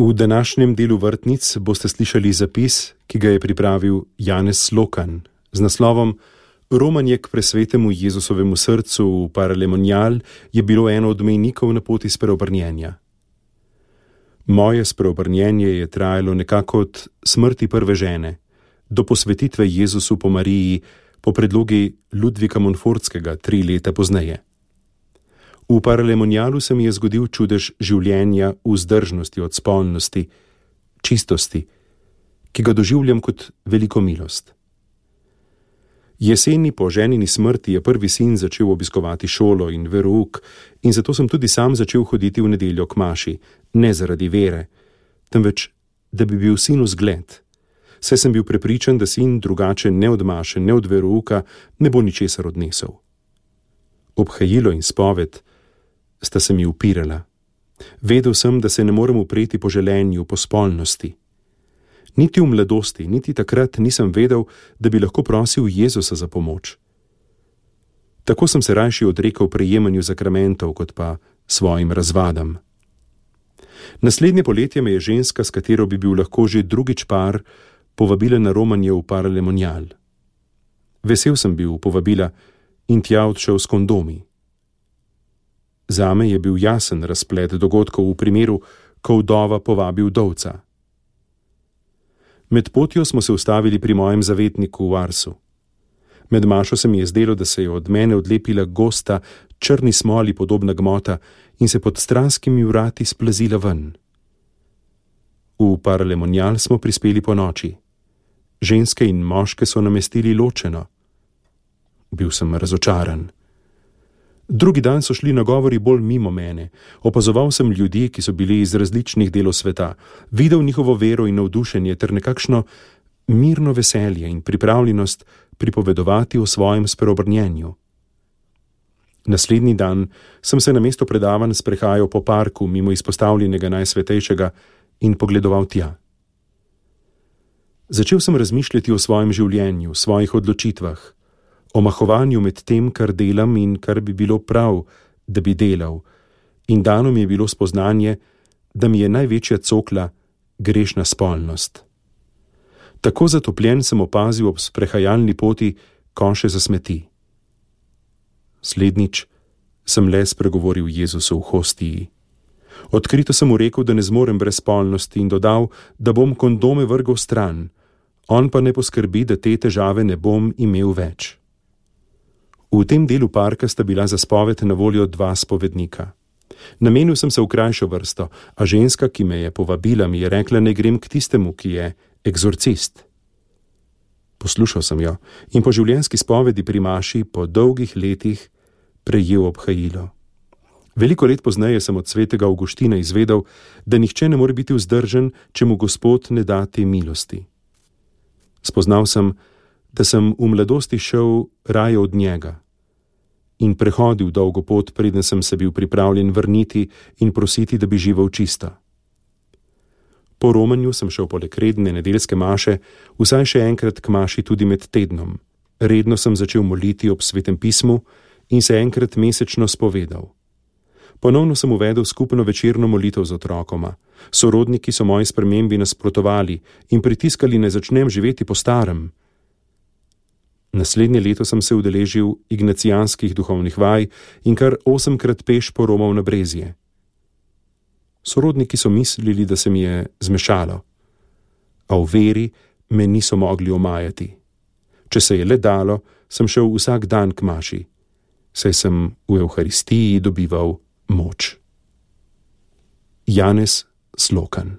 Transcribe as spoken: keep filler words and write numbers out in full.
V današnjem delu vrtnic boste slišali zapis, ki ga je pripravil Janez Slokan z naslovom Romanje k presvetemu Jezusovemu srcu v Paralemonial je bilo eno od mejnikov na poti spreobrnjenja. Moje spreobrnjenje je trajalo nekako od smrti prve žene do posvetitve Jezusu po Mariji po predlogi Ludvika Monfortskega tri leta pozneje. V Paralemonialu se mi je zgodil čudež življenja v vzdržnosti od spolnosti, čistosti, ki ga doživljam kot veliko milost. Jeseni po ženini smrti je prvi sin začel obiskovati šolo in verouk in zato sem tudi sam začel hoditi v nedeljo k maši, ne zaradi vere, temveč, da bi bil sinu zgled. Saj sem bil prepričan, da sin drugače ne od maše, ne od verouka ne bo ničesar odnesel. Obhajilo in spoved sta se mi upirala. Vedel sem, da se ne morem upreti po želenju, po spolnosti. Niti v mladosti, niti takrat nisem vedel, da bi lahko prosil Jezusa za pomoč. Tako sem se rajši odrekel prejemanju zakramentov, kot pa svojim razvadam. Naslednje poletje me je ženska, s katero bi bil lahko že drugič par, povabila na romanje v Paralemonial. Vesel sem bil povabila in tja odšel s kondomi. Zame je bil jasen razplet dogodkov v primeru, ko vdova povabi vdovca. Med potjo smo se ustavili pri mojem zavetniku v Arsu. Med mašo se mi je zdelo, da se je od mene odlepila gosta, črni smoli podobna gmota in se pod stranskimi vrati splazila ven. V Paralemonial smo prispeli po noči. Ženske in moške so namestili ločeno. Bil sem razočaran. Drugi dan so šli nagovori bolj mimo mene. Opazoval sem ljudi, ki so bili iz različnih delov sveta, videl njihovo vero in navdušenje ter nekakšno mirno veselje in pripravljenost pripovedovati o svojem spreobrnjenju. Naslednji dan sem se namesto predavanj sprehajal po parku mimo izpostavljenega Najsvetejšega in pogledoval tja. Začel sem razmišljati o svojem življenju, svojih odločitvah, o mahovanju med tem, kar delam in kar bi bilo prav, da bi delal, in dano mi je bilo spoznanje, da mi je največja cokla grešna spolnost. Tako zatopljen sem opazil ob sprehajalni poti koše za smeti. Slednjič sem le spregovoril Jezusu v hostiji. Odkrito sem mu rekel, da ne zmorem brez spolnosti in dodal, da bom kondome vrgel stran, on pa ne poskrbi, da te težave ne bom imel več. V tem delu parka sta bila za spoved na voljo dva spovednika. Namenil sem se v krajšo vrsto, a ženska, ki me je povabila, mi je rekla, ne grem k tistemu, ki je egzorcist. Poslušal sem jo in po življenjski spovedi pri maši po dolgih letih prejel obhajilo. Veliko let pozneje sem od svetega Avguština izvedel, da nihče ne more biti vzdržen, če mu Gospod ne da te milosti. Spoznal sem, da sem v mladosti šel raje od njega in prehodil dolgo pot, preden sem se bil pripravljen vrniti in prositi, da bi živel čisto. Po romanju sem šel poleg redne nedeljske maše, vsaj še enkrat k maši tudi med tednom. Redno sem začel moliti ob Svetem pismu in se enkrat mesečno spovedal. Ponovno sem uvedel skupno večerno molitev z otrokoma. Sorodniki so moji spremembi nasprotovali in pritiskali, ne začnem živeti po starem. Naslednje leto sem se udeležil ignacijanskih duhovnih vaj in kar osemkrat peš poromal na Brezje. Sorodniki so mislili, da se mi je zmešalo, a v veri me niso mogli omajati. Če se je le dalo, sem šel vsak dan k maši, saj sem v Evharistiji dobival moč. Janez Slokan.